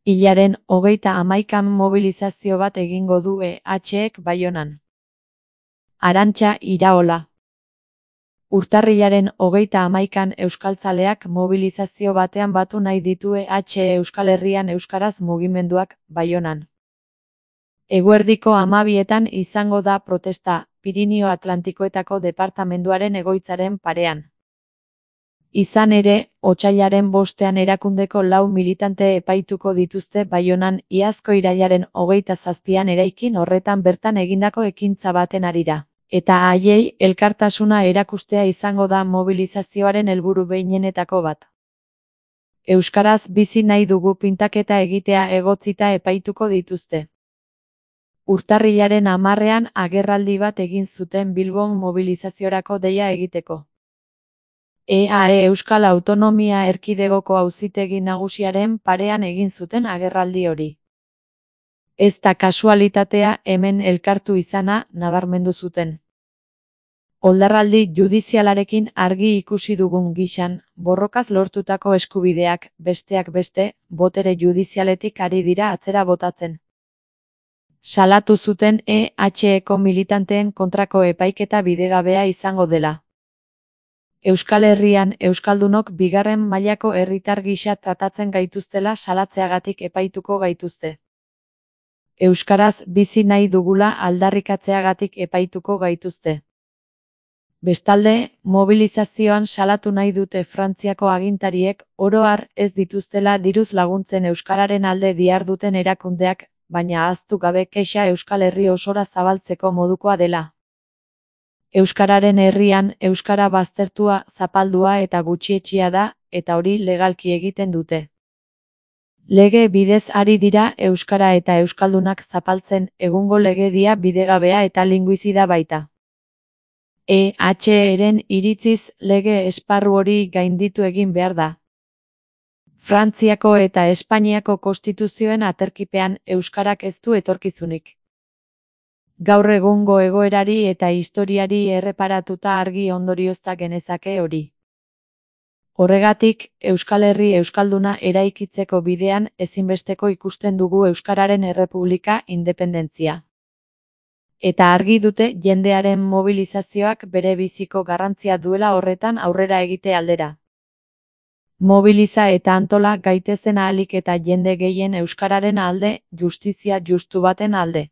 Hilaren 31 mobilizazio bat egingo du EHek Baionan. Arantxa Iraola. Urtarrilaren 31an euskaltzaleak mobilizazio batean batu nahi ditu EH Euskal Herrian euskaraz mugimenduak Baionan. Eguerdiko 12etan izango da protesta, Pirinio Atlantikoetako departamenduaren egoitzaren parean. Izan ere, otsailaren 5ean erakundeko 4 militante epaituko dituzte Baionan iazko irailaren 27an eraikin horretan bertan egindako ekintza baten harira. Eta haiei elkartasuna erakustea izango da mobilizazioaren helburu behinenetako bat. Euskaraz bizi nahi dugu pintaketa egitea egotzita epaituko dituzte. Urtarrilaren 10ean agerraldi bat egin zuten Bilbon mobilizaziorako deia egiteko. EAE Euskal Autonomia Erkidegoko Auzitegi Nagusiaren parean egin zuten agerraldi hori. Ez da kasualitatea hemen elkartu izana nabarmendu zuten. Oldarraldi judizialarekin argi ikusi dugun gisan, borrokaz lortutako eskubideak, besteak beste, botere judizialetik ari dira atzera botatzen. Salatu zuten EHeko militanteen kontrako epaiketa bidegabea izango dela. Euskal Herrian euskaldunok bigarren mailako herritar gisa tratatzen gaituztela salatzeagatik epaituko gaituzte. Euskaraz bizi nahi dugula aldarrikatzeagatik epaituko gaituzte. Bestalde, mobilizazioan salatu nahi dute Frantziako agintariek oro har ez dituztela diruz laguntzen euskararen alde diharduten erakundeak, baina ahaztu gabe kexa Euskal Herri osora zabaltzeko modukoa dela. Euskararen herrian euskara baztertua, zapaldua eta gutxietsia da, eta hori legalki egiten dute. Lege bidez ari dira euskara eta euskaldunak zapaltzen, egungo legedia bidegabea eta linguizida baita. EHren iritziz lege esparru hori gainditu egin behar da. Frantziako eta Espainiako konstituzioen aterkipean euskarak ez du etorkizunik. Gaur egungo egoerari eta historiari erreparatuta argi ondoriozta genezake hori. Horregatik, Euskal Herri euskalduna eraikitzeko bidean ezinbesteko ikusten dugu Euskararen Errepublika independentzia. Eta argi dute jendearen mobilizazioak bere biziko garrantzia duela horretan aurrera egite aldera. Mobiliza eta antola gaitezen ahalik eta jende gehien euskararen alde, justizia justu baten alde.